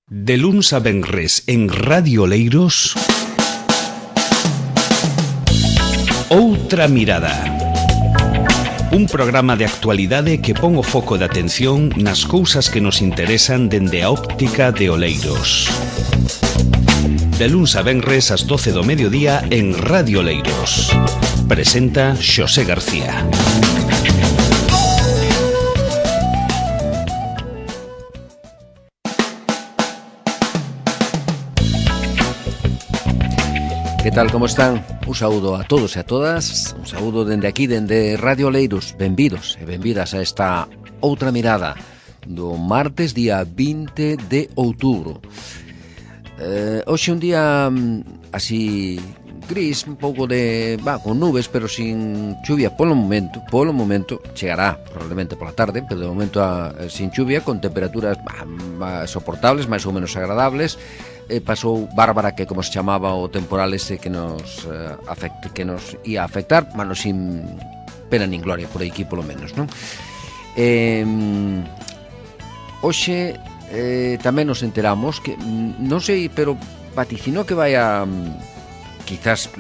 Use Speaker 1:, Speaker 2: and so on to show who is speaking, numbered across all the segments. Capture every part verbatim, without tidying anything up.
Speaker 1: De luns a venres en Radio Oleiros, Outra Mirada. Un programa de actualidade que pon o foco de atención nas cousas que nos interesan dende a óptica de Oleiros. De luns a venres ás doce do mediodía en Radio Oleiros. Presenta Xosé García.
Speaker 2: Que tal, como están? Un saúdo a todos e a todas. Un saúdo dende aquí, dende Radio Oleiros. Benvidos e benvidas a esta Outra Mirada do martes, día vinte de outubro. eh, Hoxe un día así gris, un pouco de... va, con nubes, pero sin chuvia polo momento. Polo momento chegará probablemente pola tarde, pero de momento a, sin chuvia, con temperaturas bah, soportables, máis ou menos agradables. Eh, pasou Bárbara, que como se chamaba o temporal ese que nos eh, afecte, que nos ia afectar, mano sin pena nin gloria por aquí polo menos, non? Eh, hoxe eh, tamén nos enteramos que, non sei, pero vaticinou que vai a quizás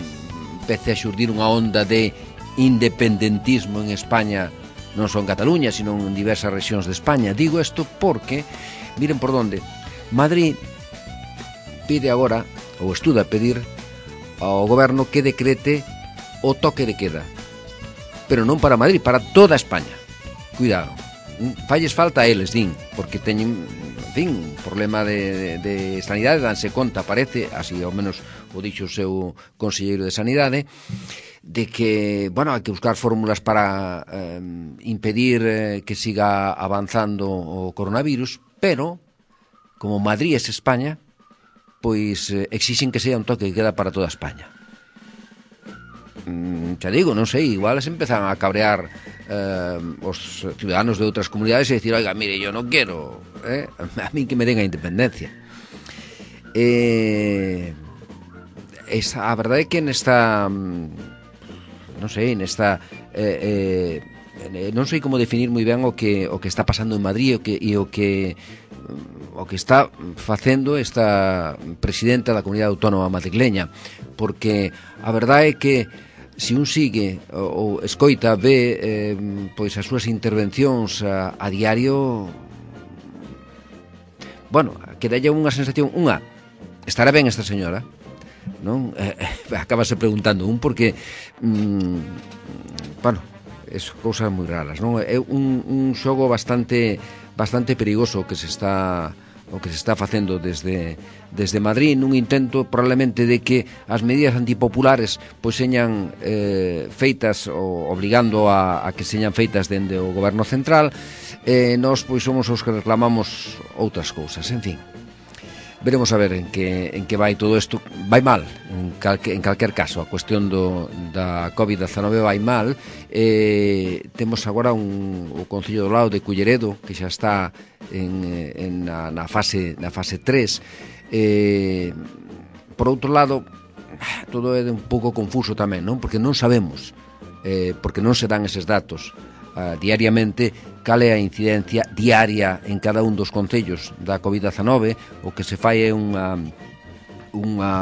Speaker 2: empece a xurdir unha onda de independentismo en España, non só en Cataluña, sino en diversas rexións de España. Digo isto porque, miren por onde, Madrid pide agora, ou estuda pedir ao goberno que decrete o toque de queda, pero non para Madrid, para toda España. Cuidado, falles falta a eles, din, porque teñen, en fin, un problema de, de, de sanidade, danse conta, parece, así ao menos o dixo o seu conselleiro de Sanidade, de que, bueno, hai que buscar fórmulas para eh, impedir eh, que siga avanzando o coronavirus, pero como Madrid é España, pois eh, exixen que sea un toque que queda para toda España. Mm, xa digo, non sei, igual se empezan a cabrear eh, os ciudadanos de outras comunidades e dicir, oiga, mire, yo non quero, eh, a mí que me den a independencia. Eh, esa, a verdade é que nesta, non sei, nesta... Eh, eh, non sei como definir moi ben o que, o que está pasando en Madrid e o que... E o que o que está facendo esta presidenta da Comunidade Autónoma madrileña, porque a verdade é que se un sigue ou escoita, ve eh, pois as súas intervencións a, a diario, bueno, que dalle unha sensación, unha, estará ben esta señora, non? Eh, acabase preguntando un, porque mm, bueno, é cousas moi raras, non? É un, un xogo bastante bastante perigoso que se está o que se está facendo desde desde Madrid, nun intento probablemente de que as medidas antipopulares pois señan eh, feitas ou obligando a, a que señan feitas dende o goberno central. Eh, nós pois somos os que reclamamos outras cousas, en fin. Veremos a ver en que, en que vai todo isto. Vai mal, en, calque, en calquer caso. A cuestión do, da covid diecinueve vai mal. Eh, temos agora un, o Concello do Lao de Culleredo, que xa está en, en, na, na, fase, na fase tres. Eh, por outro lado, todo é un pouco confuso tamén, non? Porque non sabemos, eh, porque non se dan eses datos Uh, diariamente, cal é a incidencia diaria en cada un dos concellos da covid diecinueve. O que se fai é unha unha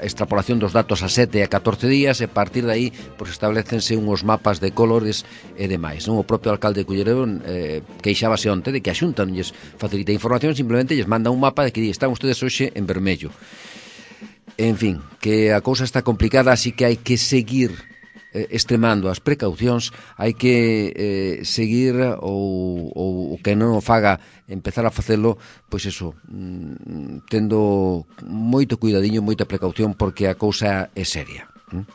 Speaker 2: extrapolación dos datos a sete e a catorce días, e a partir de aí pois, establecense uns mapas de colores e demais, non? O propio alcalde de Culleredo eh, queixábase onte de que a Xunta non lles facilita información, simplemente lles manda un mapa de que di, están ustedes hoxe en vermello. En fin, que a cousa está complicada, así que hai que seguir extremando as precaucións, hai que eh, seguir ou, ou o que non o faga empezar a facelo, pois eso, mm, tendo moito cuidadiño, moita precaución, porque a cousa é seria. ¿Mm?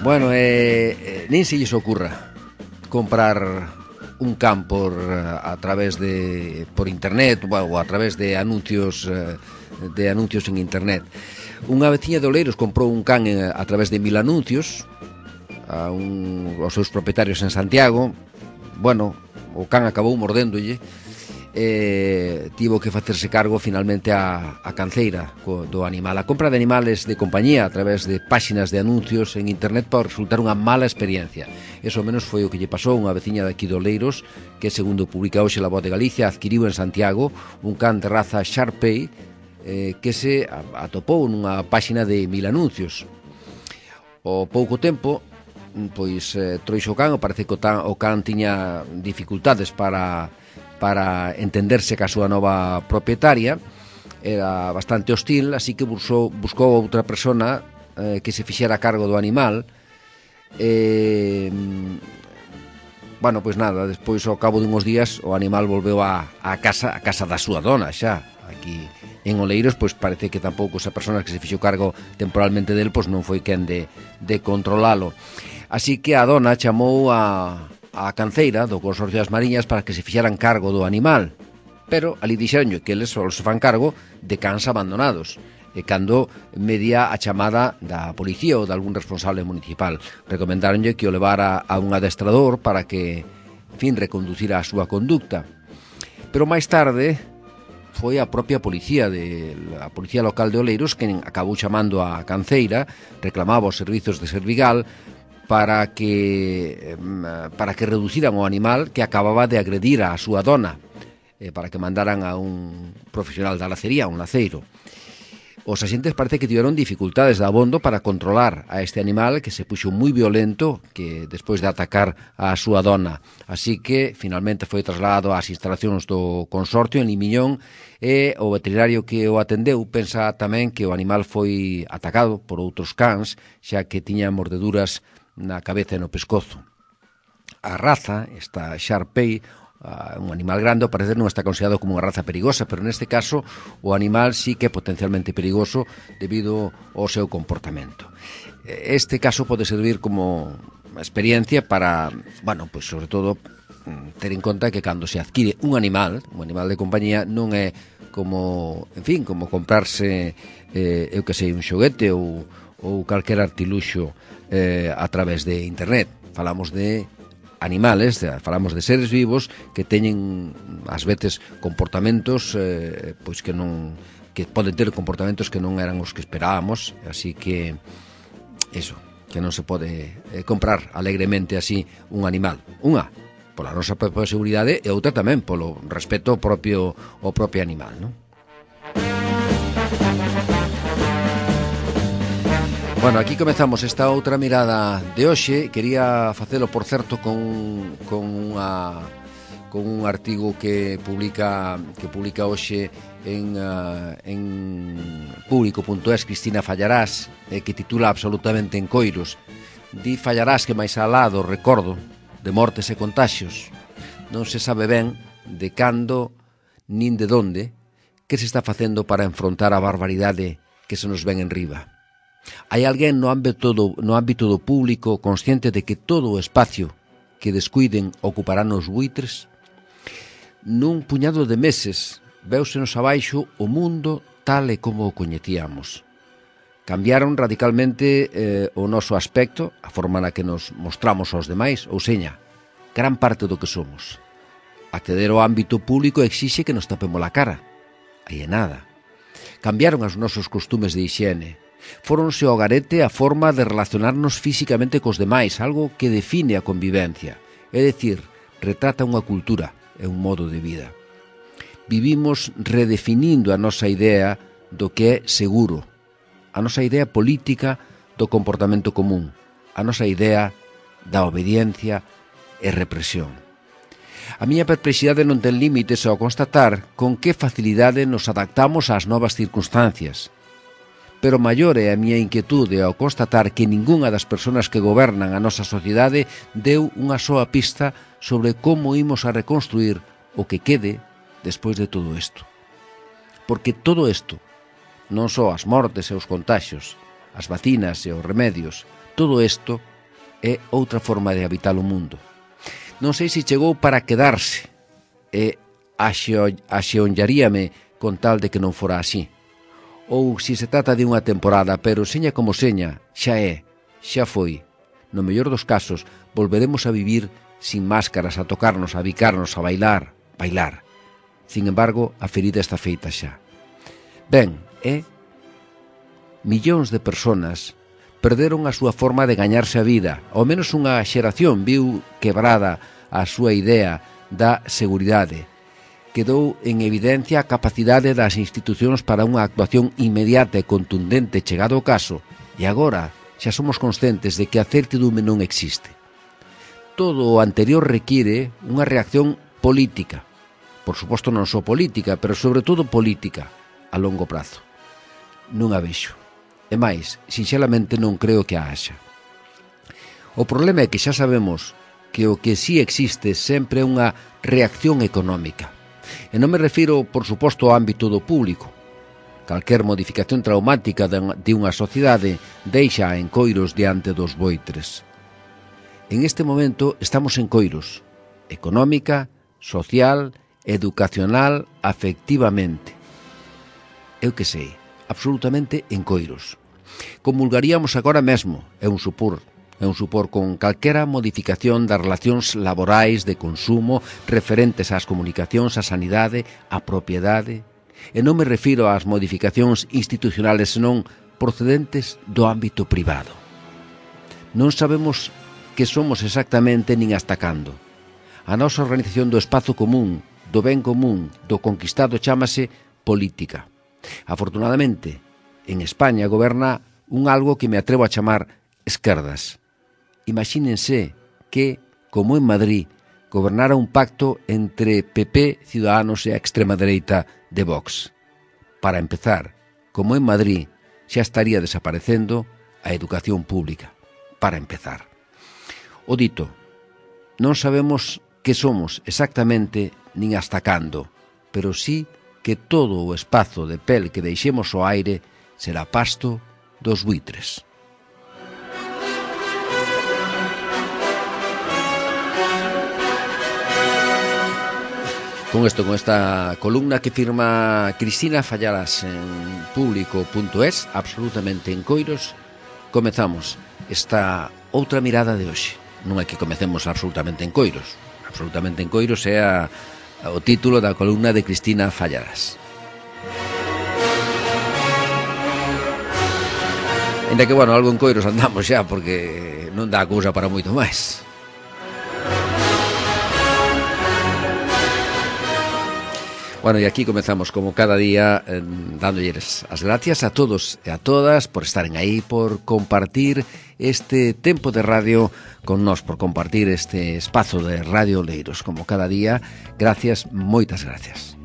Speaker 2: Bueno, eh, nin se lles ocurra comprar un can por, a través de por internet ou a través de anuncios eh, de anuncios en internet. Unha veciña de Oleiros comprou un can a través de mil anuncios a un, aos seus propietarios en Santiago. Bueno, o can acabou mordéndolle eh, tivo que facerse cargo finalmente a, a canceira co, do animal. A compra de animales de compañía a través de páxinas de anuncios en internet pode resultar unha mala experiencia. Eso ao menos foi o que lle pasou a unha veciña de aquí de Oleiros, que segundo publica hoxe La Voz de Galicia, adquiriu en Santiago un can de raza Shar-Pei eh, que se atopou nunha páxina de mil anuncios. Ao pouco tempo, pois eh, troixo o can, parece que o, tan, o can tiña dificultades para para entenderse ca súa nova propietaria, era bastante hostil, así que buscou, buscou outra persona eh, que se fixera a cargo do animal. Eh, bueno, pois nada, despois ao cabo dunhos días o animal volveu a, a casa a casa da súa dona xa, aquí en Oleiros, pois parece que tampouco esa persona que se fixo cargo temporalmente del, pois non foi quen de, de controlalo. Así que a dona chamou a a canceira do Consorcio das Mariñas para que se fixeran cargo do animal, pero ali dixeronlle que eles só se fan cargo de cans abandonados, e cando media a chamada da policía ou de algún responsable municipal. Recomendaronlle que o levara a un adestrador para que, en fin, reconducira a súa conducta. Pero máis tarde foi a propia policía de a policía local de Oleiros quen acabou chamando a canceira, reclamaba os servizos de Servigal para que para que reduciran o animal que acababa de agredir a súa dona, eh, para que mandaran a un profesional da lacería, un laceiro. Os axentes parece que tiveron dificultades de abondo para controlar a este animal que se puxo moi violento que despois de atacar a súa dona. Así que finalmente foi trasladado ás instalacións do consorcio en Limiñón e o veterinario que o atendeu pensa tamén que o animal foi atacado por outros cans, xa que tiña mordeduras na cabeza e no pescozo. A raza, esta Shar-Pei, uh, un animal grande, ao parecer non está considerado como unha raza perigosa, pero neste caso o animal sí que é potencialmente perigoso debido ao seu comportamento. Este caso pode servir como experiencia para, bueno, pois sobre todo ter en conta que cando se adquire un animal, un animal de compañía, non é como, en fin, como comprarse eh, eu que sei, un xoguete ou, ou calquer artiluxo eh, a través de internet. Falamos de animales, de, falamos de seres vivos que teñen ás veces comportamentos eh, pois que non que poden ter comportamentos que non eran os que esperábamos, así que eso, que non se pode eh, comprar alegremente así un animal. Unha, pola nosa propia seguridade, e outra tamén polo respeto ao propio, ao propio animal, non? Bueno, aquí comezamos esta outra mirada de hoxe. Quería facelo, por certo, con, con, unha, con un artigo que publica que publica hoxe en, uh, en público punto es Cristina Fallarás, eh, que titula absolutamente en coiros. Di Fallarás que máis alá do recordo de mortes e contaxios non se sabe ben de cando nin de donde que se está facendo para enfrontar a barbaridade que se nos ven en riba. Hai alguén no ámbito do, no ámbito do público consciente de que todo o espacio que descuiden ocuparán os buitres? Nun puñado de meses véusenos abaixo o mundo tal e como o coñecíamos. Cambiaron radicalmente eh, o noso aspecto, a forma na que nos mostramos aos demais, ou seña, gran parte do que somos. Acceder ao ámbito público exixe que nos tapemos a cara. Aí é nada. Cambiaron os nosos costumes de hixiene. Fóronse ao garete a forma de relacionarnos físicamente cos demais, algo que define a convivencia, é dicir, retrata unha cultura e un modo de vida. Vivimos redefinindo a nosa idea do que é seguro, a nosa idea política do comportamento común, a nosa idea da obediencia e represión. A miña perplexidade non ten límites ao constatar con que facilidade nos adaptamos ás novas circunstancias, pero maior é a miña inquietude ao constatar que ningunha das persoas que gobernan a nosa sociedade deu unha soa pista sobre como imos a reconstruir o que quede despois de todo isto. Porque todo isto, non só as mortes e os contaxios, as vacinas e os remedios, todo isto é outra forma de habitar o mundo. Non sei se chegou para quedarse e axeonllaríame con tal de que non fora así. Ou se se trata de unha temporada, pero seña como seña, xa é, xa foi. No mellor dos casos, volveremos a vivir sin máscaras, a tocarnos, a bicarnos, a bailar, bailar. Sin embargo, a ferida está feita xa. Ben, e millóns de persoas perderon a súa forma de gañarse a vida. Ao menos unha xeración viu quebrada a súa idea da seguridade. Quedou en evidencia a capacidade das institucións para unha actuación inmediata e contundente chegado o caso, e agora xa somos conscientes de que a certidume non existe. Todo o anterior require unha reacción política. Por suposto non só política, pero sobre todo política, a longo prazo. Non a vexo. E máis, sinxelamente non creo que a haxa. O problema é que xa sabemos que o que sí existe sempre é unha reacción económica. E non me refiro, por suposto, ao ámbito do público. Calquer modificación traumática de unha sociedade deixa en coiros diante dos boitres. En este momento estamos en coiros, económica, social, educacional, afectivamente. Eu que sei, absolutamente en coiros. Comulgaríamos agora mesmo, é un supor, é un supor con calquera modificación das relacións laborais de consumo referentes ás comunicacións, á sanidade, á propiedade. E non me refiro ás modificacións institucionales, senón procedentes do ámbito privado. Non sabemos que somos exactamente nin hasta cando. A nosa organización do espazo común, do ben común, do conquistado chámase política. Afortunadamente, en España goberna un algo que me atrevo a chamar esquerdas. Imagínense que, como en Madrid, gobernara un pacto entre P P, Ciudadanos e a extrema dereita de Vox. Para empezar, como en Madrid, xa estaría desaparecendo a educación pública. Para empezar. O dito, non sabemos que somos exactamente nin hasta cando, pero sí que todo o espazo de pel que deixemos ao aire será pasto dos buitres. Con isto, con esta columna que firma Cristina Fallaras en público punto es, absolutamente en coiros, comezamos esta outra mirada de hoxe. Non é que comecemos absolutamente en coiros. Absolutamente en coiros é a, a, o título da columna de Cristina Fallaras. Ainda que, bueno, algo en coiros andamos xa, porque non dá cousa para moito máis. Bueno, e aquí comezamos como cada día eh, dándolles as gracias a todos e a todas por estaren aí, por compartir este tempo de radio con nós, por compartir este espazo de Radio Oleiros. Como cada día, gracias, moitas gracias.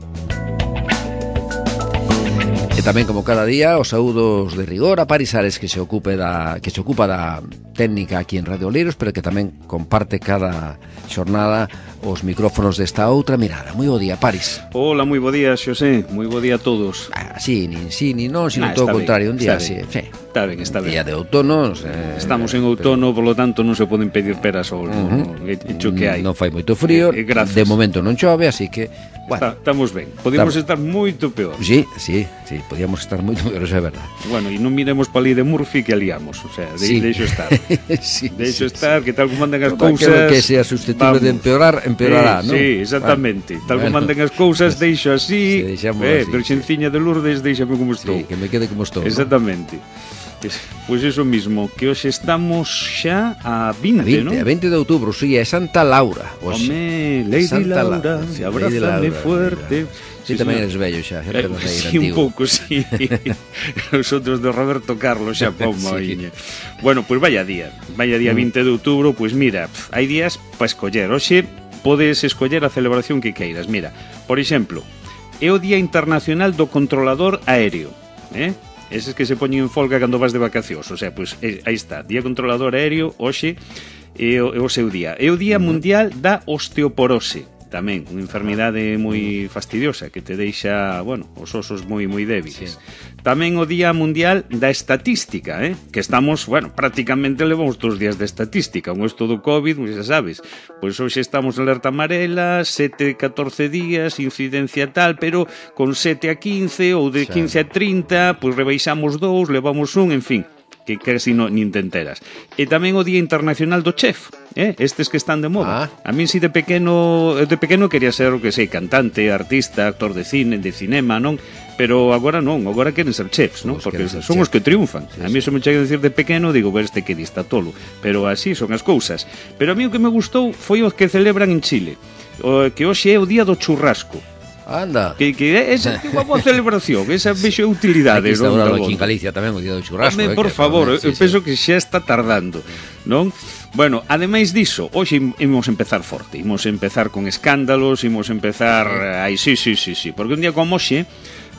Speaker 2: E tamén como cada día, os saúdos de rigor a Paris Ares, que se ocupe da que se ocupa da técnica aquí en Radio Oleiros, pero que tamén comparte cada xornada os micrófonos desta outra mirada. Moi bo día, Paris.
Speaker 3: Hola, moi bo día, Xosé. Moi bo día a todos.
Speaker 2: Ah, sí, nin sí, nin non, sino nah, todo o contrario, un día así. Sí.
Speaker 3: Está ben, está ben.
Speaker 2: Día de outono, eh,
Speaker 3: estamos en outono, pero... por lo tanto non se poden pedir peras ao olmo, uh-huh. no, hecho que hai.
Speaker 2: Non fai moito frío, eh, de momento non chove, así que, bueno,
Speaker 3: Está, estamos ben. Podemos estar moito peor.
Speaker 2: Sí, sí, sí, podíamos estar moito peor, eso é verdade.
Speaker 3: Bueno, e non miremos pa lei de Murphy que aliamos, o sea, de, sí. deixo estar. sí, deixo sí, estar, sí. Que tal como mandan as cousas,
Speaker 2: que sea susceptible de empeorar, empeorará,
Speaker 3: sí,
Speaker 2: non?
Speaker 3: Sí, exactamente. Bueno, tal como bueno, mandan as cousas, deixo así,
Speaker 2: sí,
Speaker 3: eh,
Speaker 2: así,
Speaker 3: Virxenciña sí. de Lourdes, deixame como estou.
Speaker 2: Sí, que me quede como estou.
Speaker 3: Exactamente. ¿No? Pois pues eso mismo, que hoxe estamos xa a vinte,
Speaker 2: a vinte,
Speaker 3: ¿no?
Speaker 2: A vinte de outubro, sí, é Santa Laura.
Speaker 3: Home, Lady Santa Laura, se abrázame fuerte.
Speaker 2: Sí, sí, tamén eres bello xa, xa
Speaker 3: eh, sí, un pouco, sí. Os outros de Roberto Carlos xa pomo sí. Bueno, pois pues vaya día, vaya día mm. vinte de outubro, pois pues mira, hai días para escoller. Hoxe podes escoller a celebración que queiras. Mira, por exemplo, é o Día Internacional do Controlador Aéreo, eh? Eses que se poñen en folga cando vas de vacacións. O sea, pois pues, aí está, Día Controlador Aéreo, hoxe é o, é o seu día. É o Día Mundial da Osteoporose, tamén, unha enfermidade moi fastidiosa que te deixa, bueno, os osos moi moi débiles. Sí. Tamén o Día Mundial da Estatística, eh? Que estamos, bueno, prácticamente levamos todos os días de estatística. Con isto do COVID, xa sabes, pois hoxe estamos en alerta amarela, sete a catorce días, incidencia tal, pero con sete a quince ou de quince a trinta, pois rebaixamos dous, levamos un, en fin, que casi no, nin te enteras. E tamén o Día Internacional do Chef, eh? Estes que están de moda. Ah. A min si de pequeno, de pequeno quería ser, o que sei, cantante, artista, actor de cine, de cinema, non? Pero agora non, agora queren ser chefs, non? Porque son chef. Os que triunfan. Sí, a mí se me chega a decir de pequeno, digo, ver este que dista tolo. Pero así son as cousas. Pero a mí o que me gustou foi o que celebran en Chile, o que hoxe é o Día do Churrasco.
Speaker 2: Anda.
Speaker 3: Que, que esa é unha boa celebración, esa vexo utilidade.
Speaker 2: Aquí está no, aquí en Galicia tamén o Día do Churrasco.
Speaker 3: Home,
Speaker 2: eh,
Speaker 3: por
Speaker 2: que,
Speaker 3: favor,
Speaker 2: sí,
Speaker 3: eu
Speaker 2: sí.
Speaker 3: penso que xa está tardando, non? Bueno, ademais diso, hoxe imos empezar forte, imos empezar con escándalos, imos empezar... Ai, sí, sí, sí, sí, porque un día como hoxe,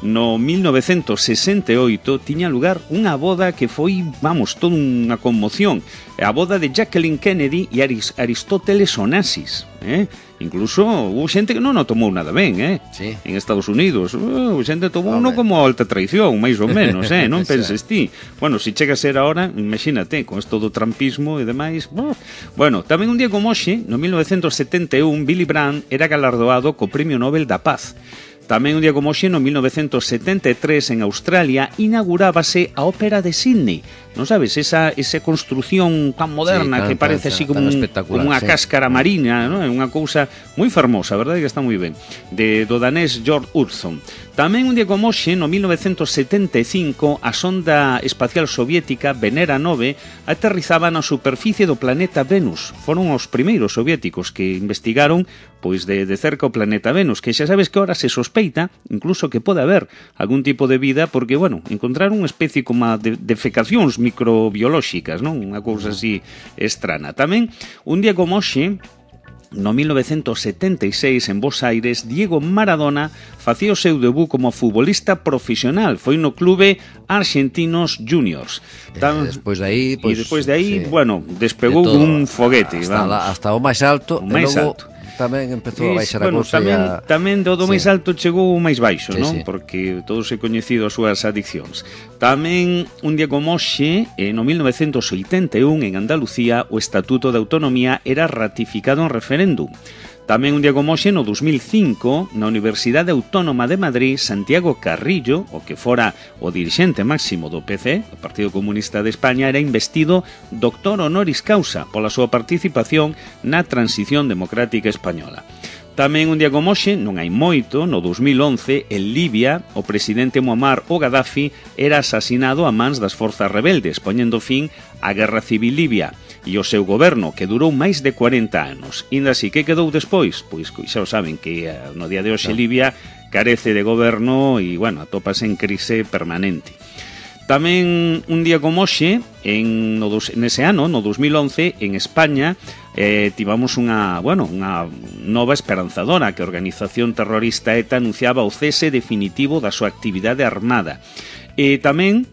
Speaker 3: no mil novecentos sesenta e oito, tiña lugar unha boda que foi, vamos, toda unha conmoción. A boda de Jacqueline Kennedy e Aristóteles Onassis, eh? Incluso hubo xente que non o tomou nada ben, eh? Sí. En Estados Unidos, uh, xente tomou uno como alta traición, máis ou menos, eh? Non penses ti. Bueno, se chega a ser ahora, imagínate, con esto do trampismo e demais. Uh. Bueno, tamén un día como hoxe, no mil novecentos setenta e un, Willy Brandt era galardoado co Premio Nobel da Paz. Tamén un día como hoxe, no mil novecentos setenta e tres, en Australia, inaugurábase a Ópera de Sydney. Non sabes, esa, esa construción tan moderna, sí, tan, que parece tan, así como, un, como unha sí. cáscara marina, ¿no? É unha cousa moi fermosa, a verdade que está moi ben, de, do danés George Hudson. Tamén un día como hoxe, no mil novecentos setenta e cinco, a sonda espacial soviética Venera nove aterrizaba na superficie do planeta Venus. Foron os primeiros soviéticos que investigaron pois de, de cerca o planeta Venus, que xa sabes que ahora se sospeita incluso que pode haber algún tipo de vida, porque, bueno, encontraron unha especie como de defecacións microbiolóxicas, non? Unha cousa así estrana. Tamén, un día como hoxe, no mil novecentos setenta e seis, en Bos Aires, Diego Maradona facía o seu debut como futbolista profesional. Foi no clube Argentinos Juniors.
Speaker 2: Tam... E despois de aí, pues,
Speaker 3: e despois de aí, sí, bueno, despegou de un foguete.
Speaker 2: Hasta, la, hasta o máis alto.
Speaker 3: O máis
Speaker 2: logo...
Speaker 3: alto.
Speaker 2: Tamén empezou a baixar
Speaker 3: bueno,
Speaker 2: a cousa
Speaker 3: tamén,
Speaker 2: a...
Speaker 3: tamén do, do sí. máis alto chegou o máis baixo,
Speaker 2: sí,
Speaker 3: non?
Speaker 2: Sí.
Speaker 3: Porque todos é coñecido as súas adiccións. Tamén un día como hoxe, no mil novecentos oitenta e un, en Andalucía, o Estatuto de Autonomía era ratificado en referéndum. Tamén un día como hoxe, no dos mil cinco, na Universidade Autónoma de Madrid, Santiago Carrillo, o que fora o dirixente máximo do P C, o Partido Comunista de España, era investido doctor honoris causa pola súa participación na transición democrática española. Tamén un día como hoxe, non hai moito, no dos mil once, en Libia, o presidente Muammar o Gaddafi era asasinado a mans das forzas rebeldes, poñendo fin á Guerra Civil Libia. E o seu goberno, que durou máis de cuarenta anos. Inda así, que quedou despois? Pois xa o saben que no día de hoxe Libia carece de goberno e, bueno, atópase en crise permanente. Tamén un día como hoxe, en, no, nese ano, no dos mil once, en España, eh, tivamos unha, bueno, unha nova esperanzadora, que a organización terrorista ETA anunciaba o cese definitivo da súa actividade armada. E tamén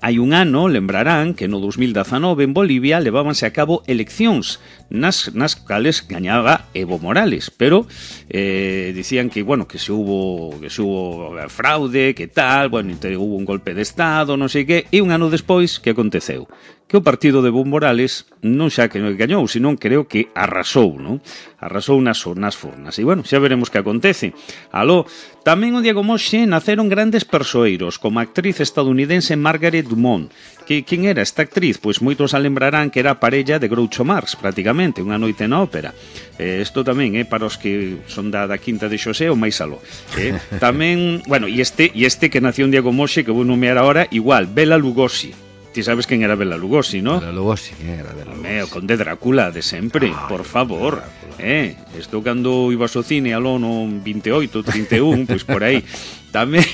Speaker 3: hai un ano, lembrarán, que no dos mil dezanove en Bolivia levábanse a cabo eleccións nas, nas cales gañaba Evo Morales, pero eh, dicían que, bueno, que se hubo que se hubo fraude, que tal, bueno, hubo un golpe de estado, non sei que, e un ano despois, que aconteceu? Que o partido de Evo Morales non xa que non gañou, senón creo que arrasou, non? Arrasou nas, nas fornas. E, bueno, xa veremos que acontece. Aló, tamén un día como hoxe naceron grandes persoeiros, como a actriz estadounidense Margaret Dumont. Que, quen era esta actriz? Pois moitos a lembrarán que era a parella de Groucho Marx, prácticamente, unha noite na ópera. Eh, isto tamén, eh, para os que son da, da Quinta de Xosé ou máis aló. Eh, tamén, bueno, e este, e este que nació un día como hoxe, que vou nomear ahora, igual, Bela Lugosi. Ti sabes quen era Bela Lugosi, ¿no?
Speaker 2: Bela Lugosi, quen era Bela Lugosi?
Speaker 3: O conde Drácula de sempre, ay, por favor. Eh, isto cando ibas ao cine aló no vinte e oito, trinta e un, pois por aí. Tamén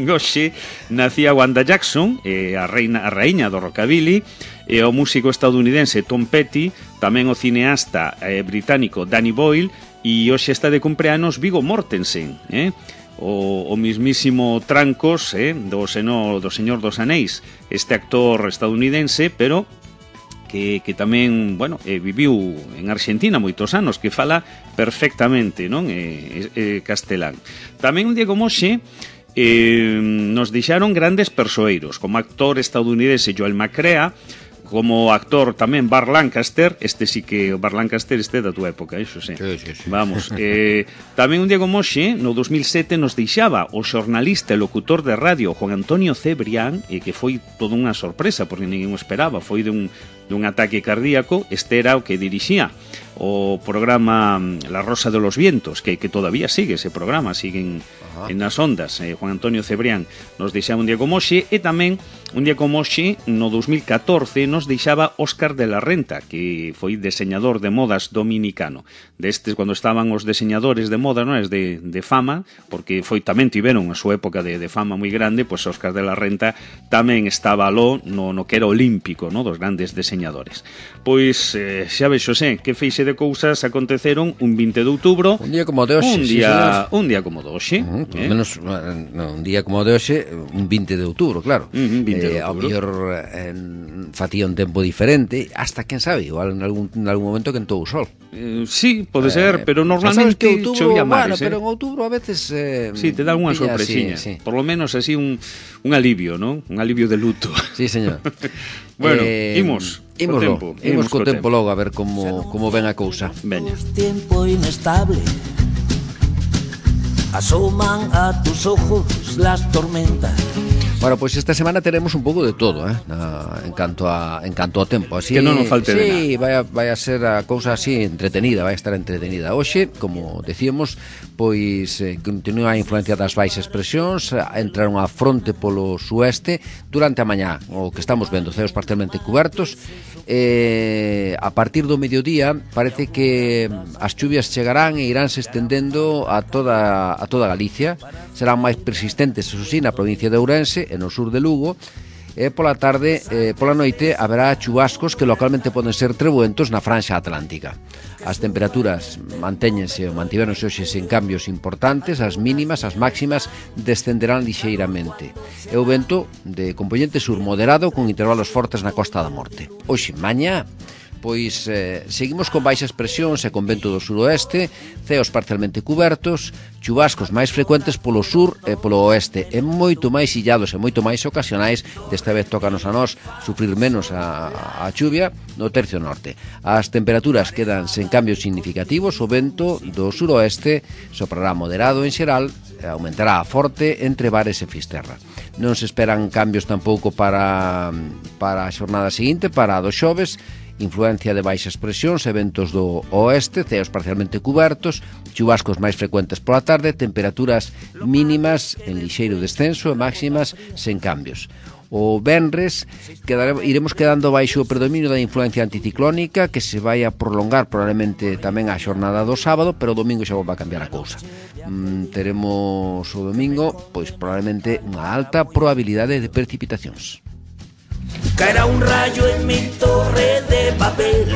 Speaker 3: hoxe nacía Wanda Jackson, eh, a reina a raíña do rockabilly, e o músico estadounidense Tom Petty, tamén o cineasta eh, británico Danny Boyle, e hoxe está de cumpleanos Viggo Mortensen, eh? O, o mismísimo Trancos, eh, do, seno, do Señor dos Anéis, este actor estadounidense, pero que, que tamén, bueno, eh, viviu en Argentina moitos anos, que fala perfectamente, non? Eh, eh, castelán. Tamén un día como hoxe eh, nos deixaron grandes persoeiros, como actor estadounidense Joel McCrea, como actor tamén Burt Lancaster, este sí que o Burt Lancaster este da túa época, iso sí.
Speaker 2: Sí, sí, sí.
Speaker 3: Vamos, eh, tamén un día como hoxe, no dos mil sete nos deixaba o xornalista e locutor de radio Juan Antonio Cebrián, e que foi toda unha sorpresa porque ninguén o esperaba, foi dun dun ataque cardíaco. Este era o que dirixía o programa La Rosa de los Vientos, que, que todavía sigue ese programa, siguen en nas ondas. eh, Juan Antonio Cebrián nos deixaba un día como hoxe, e tamén un día como hoxe, no dos mil catorce, nos deixaba Óscar de la Renta, que foi deseñador de modas dominicano. Destes, cando estaban os deseñadores de moda, non es de, de fama, porque foi tamén tiveron a súa época de, de fama moi grande, pois Óscar de la Renta tamén estaba aló no, no que era olímpico, no, dos grandes deseñadores. Pois, eh, xa vexo, sé, que feixe de cousas aconteceron un vinte de outubro.
Speaker 2: Un día como de hoxe,
Speaker 3: un
Speaker 2: sí,
Speaker 3: día, un día como de hoxe.
Speaker 2: Uh -huh, por
Speaker 3: eh?
Speaker 2: menos, no, un día como de hoxe, un vinte de outubro, claro.
Speaker 3: Uh -huh, vinte de
Speaker 2: eh, ao
Speaker 3: outubro.
Speaker 2: mellor eh, facía un tempo diferente, hasta, quen sabe, igual en algún, en algún momento quentou o sol.
Speaker 3: Eh, sí, pode
Speaker 2: Eh,
Speaker 3: ser, pero normalmente
Speaker 2: que outubro,
Speaker 3: chovía
Speaker 2: bueno,
Speaker 3: máis,
Speaker 2: pero
Speaker 3: eh?
Speaker 2: en outubro a veces eh,
Speaker 3: Sí, te dá unha
Speaker 2: pilla
Speaker 3: sorpresiña.
Speaker 2: así, sí.
Speaker 3: Por lo menos así un, un alivio, ¿no? Un alivio de luto.
Speaker 2: Sí, señor.
Speaker 3: Bueno,
Speaker 2: eh,
Speaker 3: imos
Speaker 2: Imos,
Speaker 3: co tempo,
Speaker 2: imos, imos co tempo
Speaker 3: tempo
Speaker 2: logo a ver como, como ven a cousa.
Speaker 3: Veña.
Speaker 4: Tiempo inestable, asoman a tus ojos las tormentas.
Speaker 2: Bueno, pois pues esta semana teremos un pouco de todo, eh, na, en canto a en canto ao tempo, así.
Speaker 3: Que non nos falte
Speaker 2: sí,
Speaker 3: de nada.
Speaker 2: Sí, vai a, vai a ser a cousa así entretenida, vai a estar entretenida. Hoxe, como decíamos, pois eh, continúa a influencia das baixas presións, entraron a fronte polo sueste durante a mañá, o que estamos vendo, ceos parcialmente cubertos. Eh, a partir do mediodía parece que as chuvias chegarán e iránse estendendo a toda a toda Galicia. Serán máis persistentes, eso sí, na provincia de Ourense e no sur de Lugo. E pola tarde, eh, pola noite haberá chubascos que localmente poden ser trebuentos na franxa atlántica. As temperaturas mantéñense ou mantiveronse hoxe sen cambios importantes, as mínimas, as máximas descenderán lixeiramente. E o vento de componente sur moderado con intervalos fortes na Costa da Morte. Hoxe, mañá, pois eh, seguimos con baixas presións e con vento do suroeste, ceos parcialmente cubertos, chubascos máis frecuentes polo sur e polo oeste, e moito máis illados e moito máis ocasionais. Desta vez tócanos a nós sufrir menos a, a chuvia no tercio norte. As temperaturas quedan sen cambios significativos, o vento do suroeste soprará moderado en xeral, aumentará a forte entre Bares e Fisterra. Non se esperan cambios tampouco para, para a xornada seguinte, para a do xoves. Influencia de baixas presións e ventos do oeste, ceos parcialmente cubertos, chubascos máis frecuentes pola tarde, temperaturas mínimas en lixeiro descenso e máximas sen cambios. O venres quedaremos, iremos quedando baixo o predominio da influencia anticiclónica, que se vai a prolongar probablemente tamén a xornada do sábado, pero o domingo xa vai a cambiar a cousa. Mm, teremos o domingo, pois probablemente unha alta probabilidade de precipitacións.
Speaker 4: Caerá un rayo en mi torre de papel.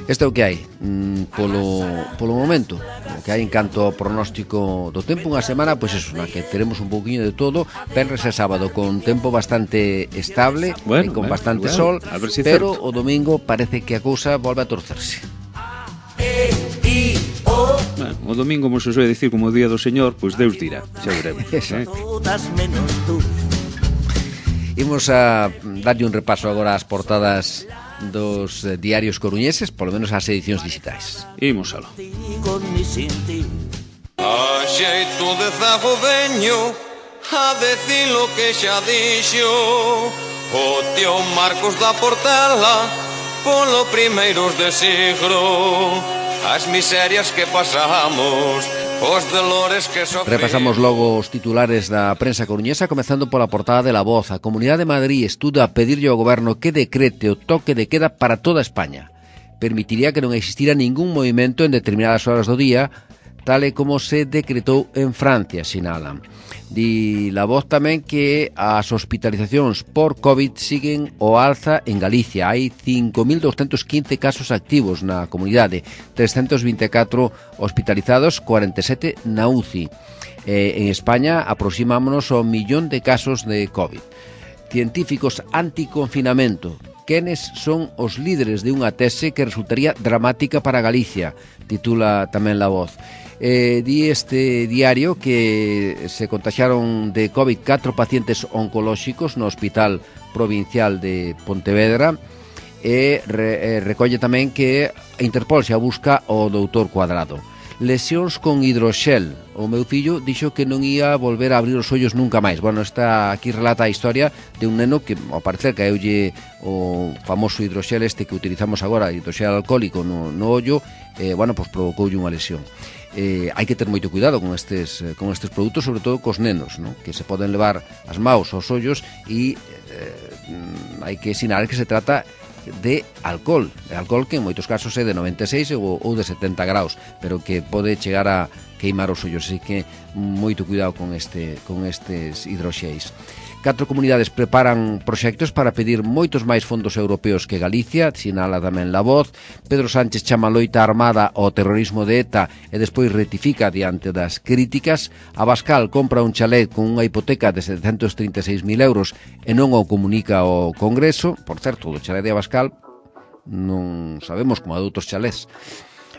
Speaker 2: Este é o que hai mm, polo, polo momento, o que hai en canto ao pronóstico do tempo. Unha semana, pois eso, na que teremos un pouquiño de todo, venres e sábado con tempo bastante estable,
Speaker 3: bueno,
Speaker 2: e con
Speaker 3: bueno,
Speaker 2: bastante
Speaker 3: bueno,
Speaker 2: sol,
Speaker 3: si
Speaker 2: pero
Speaker 3: certo.
Speaker 2: o domingo parece que a cousa volve a torcerse.
Speaker 4: E, I, O.
Speaker 3: Bueno, o domingo, como se soe dicir, como o día do Señor, pois Deus dirá, xa veremos. eh?
Speaker 4: Todas menos tú.
Speaker 2: Imos a darlle un repaso agora ás portadas dos eh, diarios coruñeses, polo menos as edicións digitais.
Speaker 3: Imos aló.
Speaker 4: Digo ni sin ti.
Speaker 5: A xeito de zago veño a decir lo que xa dixo o tío Marcos da Portela polo primeiros de siglo, as miserias que pasamos, os dolores que sofrimos.
Speaker 2: Repasamos logo os titulares da prensa coruñesa, comezando pola portada de La Voz. A Comunidade de Madrid estuda pedirlle ao goberno que decrete o toque de queda para toda España. Permitiría que non existira ningún movimento en determinadas horas do día, tal e como se decretou en Francia, sinalan. Di La Voz tamén que as hospitalizacións por COVID siguen o alza en Galicia. Hai cinco mil doscientos quince casos activos na comunidade, trescentos vinte e catro hospitalizados, cuarenta e sete na U C I. Eh, en España aproximámonos ao millón de casos de COVID. Científicos anticonfinamento. Quenes son os líderes de unha tese que resultaría dramática para Galicia, titula tamén La Voz. Eh, di este diario que se contagiaron de COVID catro pacientes oncolóxicos no Hospital Provincial de Pontevedra. e re, eh, recolle tamén que Interpol xa busca o doutor Cuadrado. Lesións con hidroxel. O meu fillo dixo que non ia volver a abrir os ollos nunca máis. Bueno, está aquí relata a historia de un neno que, ao parecer, caeulle o famoso hidroxel este que utilizamos agora, hidroxel alcohólico no, no ollo, eh, bueno, pues provocoulle unha lesión. Eh, hai que ter moito cuidado con estes, con estes produtos, sobre todo cos nenos, ¿no? Que se poden levar as maus aos ollos e eh, hai que sinalar que se trata de alcohol, de alcohol que en moitos casos é de noventa e seis ou, ou de setenta graus, pero que pode chegar a queimar os ollos, así que moito cuidado con este con estes hidroxéis. Catro comunidades preparan proxectos para pedir moitos máis fondos europeos que Galicia, sinala tamén La Voz. Pedro Sánchez chama loita armada ao terrorismo de ETA e despois rectifica diante das críticas. Abascal compra un chalet con unha hipoteca de setecentos trinta e seis mil euros e non o comunica ao Congreso. Por certo, o chalet de Abascal non sabemos como a de outros chalés.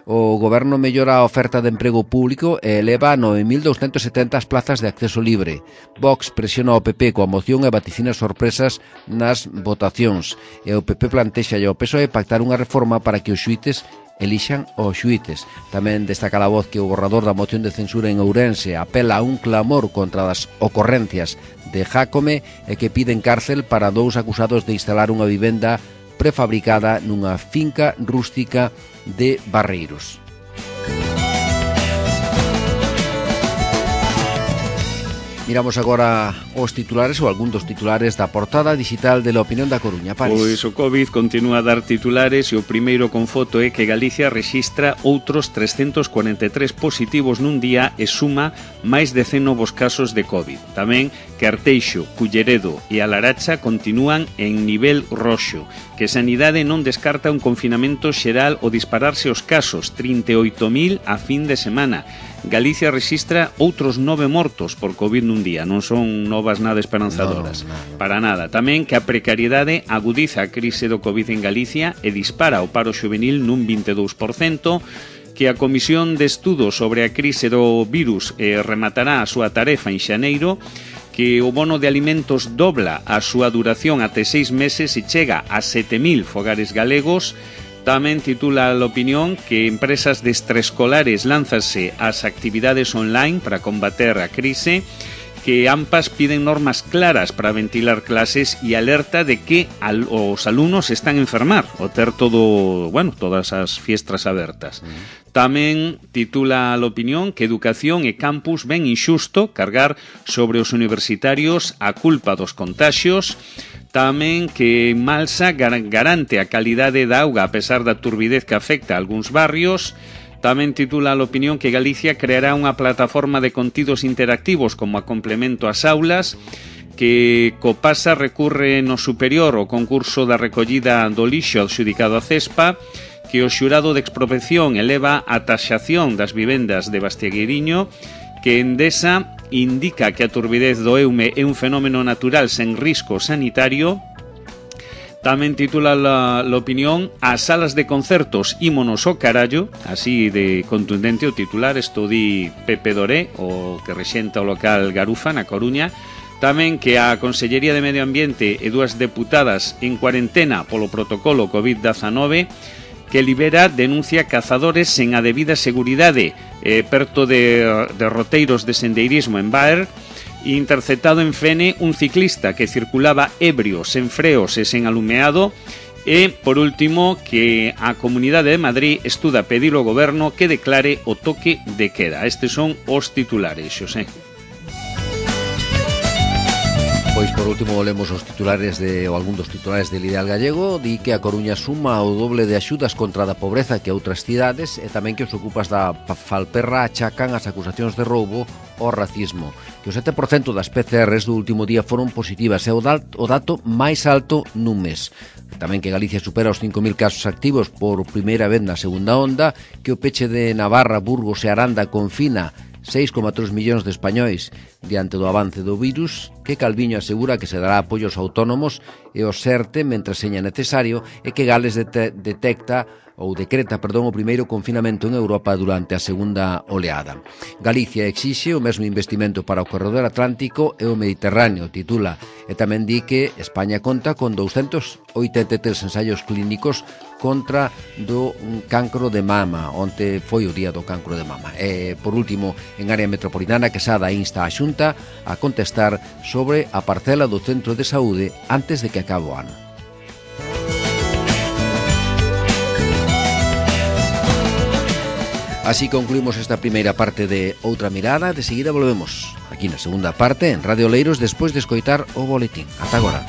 Speaker 2: O Goberno mellora a oferta de emprego público e eleva a nove mil douscentas e setenta as plazas de acceso libre. Vox presiona o P P coa moción e vaticina sorpresas nas votacións. E o P P plantexa ao P S O E pactar unha reforma para que os xuíces elixan os xuíces. Tamén destaca a Voz que o borrador da moción de censura en Ourense apela a un clamor contra as ocorrencias de Jácome e que piden cárcel para dous acusados de instalar unha vivenda prefabricada nunha finca rústica de Barreiros. Miramos agora os titulares ou algún dos titulares da portada digital de La Opinión da Coruña. Paris.
Speaker 3: Pois o COVID continúa a dar titulares e o primeiro con foto é que Galicia rexistra outros trescentos cuarenta e tres positivos nun día e suma máis de cen novos casos de COVID. Tamén que Arteixo, Culleredo e a Laracha continúan en nivel roxo, que Sanidade non descarta un confinamento xeral o dispararse os casos, trinta e oito mil a fin de semana. Galicia rexistra outros nove mortos por COVID nun día. Non son novas nada esperanzadoras. No, no, no. Para nada. Tamén que a precariedade agudiza a crise do COVID en Galicia e dispara o paro xuvenil nun vinte e dous por cento, que a Comisión de Estudos sobre a crise do virus eh, rematará a súa tarefa en xaneiro, que o bono de alimentos dobla a súa duración até seis meses e chega a sete mil fogares galegos. Tamén titula a opinión que empresas de extraescolares lánzase ás actividades online para combater a crise, que AMPAs piden normas claras para ventilar clases e alerta de que al, os alumnos están a enfermar o ter todo, bueno, todas as fiestras abertas. Uh-huh. Tamén titula a opinión que educación e campus ven inxusto cargar sobre os universitarios a culpa dos contaxios. Tamén que Malsa garante a calidade da auga a pesar da turbidez que afecta a algúns barrios. Tamén titula a opinión que Galicia creará unha plataforma de contidos interactivos como a complemento ás aulas, que Copasa recurre no superior ao concurso da recollida do lixo adxudicado a Cespa, que o xurado de expropiación eleva a taxación das vivendas de Bastiagueiriño, que Endesa indica que a turbidez do Eume é un fenómeno natural sen risco sanitario. Tamén titula a opinión as salas de concertos ímonos ao carallo, así de contundente o titular, isto di Pepe Doré, o que rexenta o local Garufa na Coruña. Tamén que a Consellería de Medio Ambiente e dúas deputadas en cuarentena polo protocolo COVID diecinueve, que libera denuncia cazadores sen a debida seguridade eh, perto de, de roteiros de sendeirismo en Baer. Interceptado en Fene un ciclista que circulaba ebrio, sen freos e sen alumeado. E, por último, que a Comunidade de Madrid estuda pedir ao Goberno que declare o toque de queda. Estes son os titulares, Xosé.
Speaker 2: Pois por último lemos os titulares de ou algún dos titulares del Ideal Gallego. Di que a Coruña suma o doble de axudas contra a pobreza que outras cidades e tamén que os ocupas da Falperra achacan as acusacións de roubo ao racismo. Que o sete por cento das P C Rs do último día foron positivas e o dato máis alto nun mes. Tamén que Galicia supera os cinco mil casos activos por primeira vez na segunda onda, que o peche de Navarra, Burgos e Aranda confina seis coma tres millóns de españois diante do avance do virus, que Calviño asegura que se dará apoios autónomos e o SERTE mentre seña necesario e que Gales dete- detecta ou decreta, perdón, o primeiro confinamento en Europa durante a segunda oleada. Galicia exixe o mesmo investimento para o corredor atlántico e o Mediterráneo, titula, e tamén di que España conta con doscientos oitenta e tres ensaios clínicos contra do cancro de mama, onte foi o día do cancro de mama. E, por último, en área metropolitana, Quesada insta a Xunta a contestar sobre a parcela do centro de saúde antes de que acabe o ano. Así concluimos esta primeira parte de Outra Mirada. De seguida volvemos aquí na segunda parte en Radio Oleiros despois de escoitar o boletín. Ata agora.